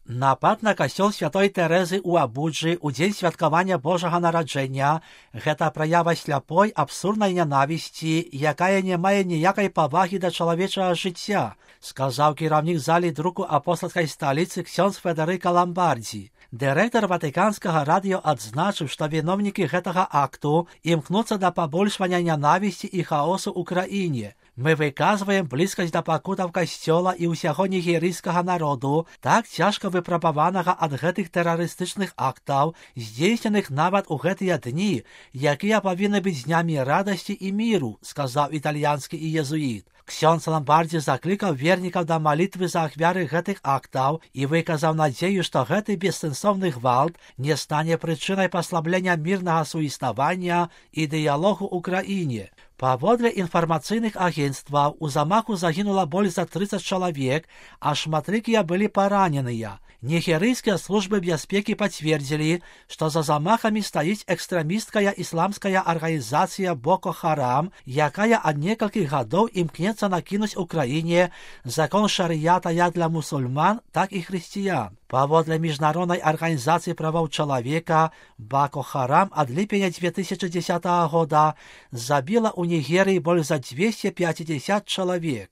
Напад на касцёл святой Тэрэзы ў Абуджы ў дзень святкавання Божага нараджэння – гэта праява сляпой абсурднай нянавісці, якая не мае ніякай павагі да чалавечага жыцця, сказаў кіраўнік залі друку апостальскай сталіцы ксёндз Федэрыка Ламбардзі. Дырэктар ватыканскага радыё адзначыў, што віновнікі гэтага акту імкнуцца да пабольшвання нянавісці і хаосу ў краіне. Мы выказваем блізкасць да пакутаў касцёла і ўсяго нігерыйскага народу, так цяжка выпрабаванага ад гэтых тэрарыстычных актаў, здзейсненых нават у гэтыя дні, якія павінны быць днямі радасці і міру, сказаў італьянскі іезуіт. Ксёндз Ламбардзі заклікаў вернікаў да малітвы за ахвяры гэтых актаў і выказаў надзею, што гэты бессэнсоўны гвалт не стане прычынай паслаблення мірнага суіснавання і дыялогу ў краіне. Паводле інфармацыйных агенцтваў, у замаху загінула больш за 30 чалавек, а шматлікія былі параненыя. Нігерыйскія службы бяспекі пацвердзілі, што за замахамі стаіць экстрэмісткая ісламская арганізацыя Боко Харам, якая ад некалькіх гадоў імкнецца накінуць у краіне закон шарыята як для мусульман, так і хрысціян. Паводле міжнароднай арганізацыі правоў чалавека, Боко Харам ад ліпеня 2010 года забіла ў Нігерыі больш за 250 чалавек.